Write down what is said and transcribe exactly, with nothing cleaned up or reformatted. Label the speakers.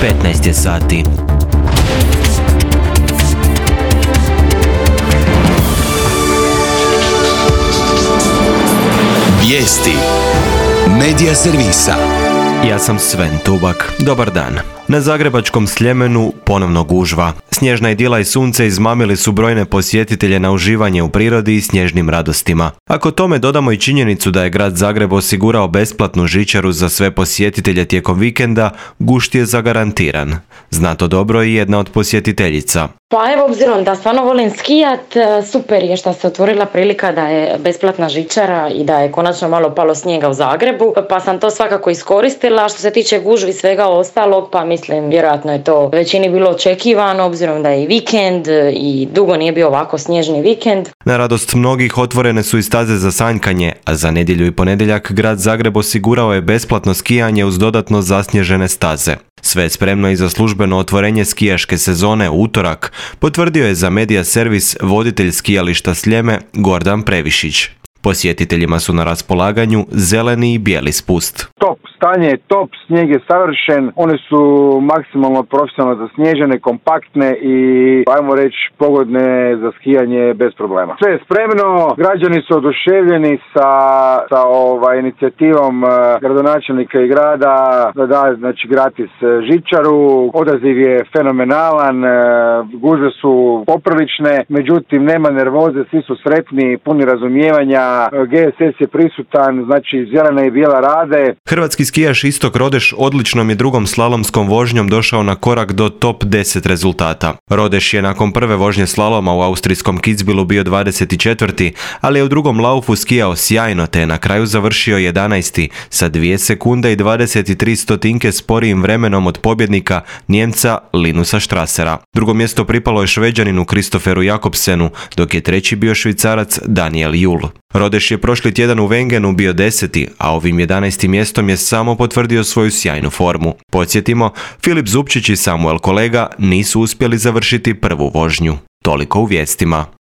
Speaker 1: petnaest je sati.
Speaker 2: Vijesti Medija servisa.
Speaker 1: Ja sam Sven Tubak. Dobar dan. Na zagrebačkom Sljemenu ponovno gužva. Snježna idila i sunce izmamili su brojne posjetitelje na uživanje u prirodi i snježnim radostima. Ako tome dodamo i činjenicu da je grad Zagreb osigurao besplatnu žičaru za sve posjetitelje tijekom vikenda, gušt je zagarantiran. Zna to dobro i jedna od posjetiteljica.
Speaker 3: Pa evo, obzirom da stvarno volim skijat, super je što se otvorila prilika da je besplatna žičara i da je konačno malo palo snijega u Zagrebu, pa sam to svakako iskoristila. Što se tiče gužvi i svega ostalog, pa mislim, vjerojatno je to većini bilo očekivano, obzirom da je i vikend i dugo nije bio ovako snježni vikend.
Speaker 1: Na radost mnogih otvorene su i staze za sanjkanje, a za nedjelju i ponedjeljak grad Zagreb osigurao je besplatno skijanje uz dodatno zasnježene staze. Sve je spremno i za službeno otvorenje skijaške sezone u utorak, potvrdio je za Medija servis voditelj skijališta Sljeme Gordan Previšić. Posjetiteljima su na raspolaganju zeleni i bijeli spust.
Speaker 4: Top, stanje je top, snijeg je savršen, one su maksimalno profesionalno zasnježene, kompaktne i, ajmo reći, pogodne za skijanje bez problema. Sve je spremno, građani su oduševljeni sa, sa ovaj, inicijativom uh, gradonačelnika i grada da da, znači, gratis žičaru. Odaziv je fenomenalan, uh, gužve su poprilične, međutim nema nervoze, svi su sretni, puni razumijevanja. G S S je prisutan, znači zelena i bijela rade.
Speaker 1: Hrvatski skijaš Istok Rodeš odličnom je drugom slalomskom vožnjom došao na korak do top deset rezultata. Rodeš je nakon prve vožnje slaloma u austrijskom Kitzbühelu bio dvadeset četvrti, ali je u drugom laufu skijao sjajno te je na kraju završio jedanaesti sa dvije sekunde i dvadeset tri stotinke sporijim vremenom od pobjednika Nijemca Linusa Strassera. Drugo mjesto pripalo je Šveđaninu Kristoferu Jakobsenu, dok je treći bio Švicarac Daniel Jul. Rodeš je prošli tjedan u Wengenu bio deseti, a ovim jedanaestim mjestom je samo potvrdio svoju sjajnu formu. Podsjetimo, Filip Zupčić i Samuel Kolega nisu uspjeli završiti prvu vožnju. Toliko u vijestima.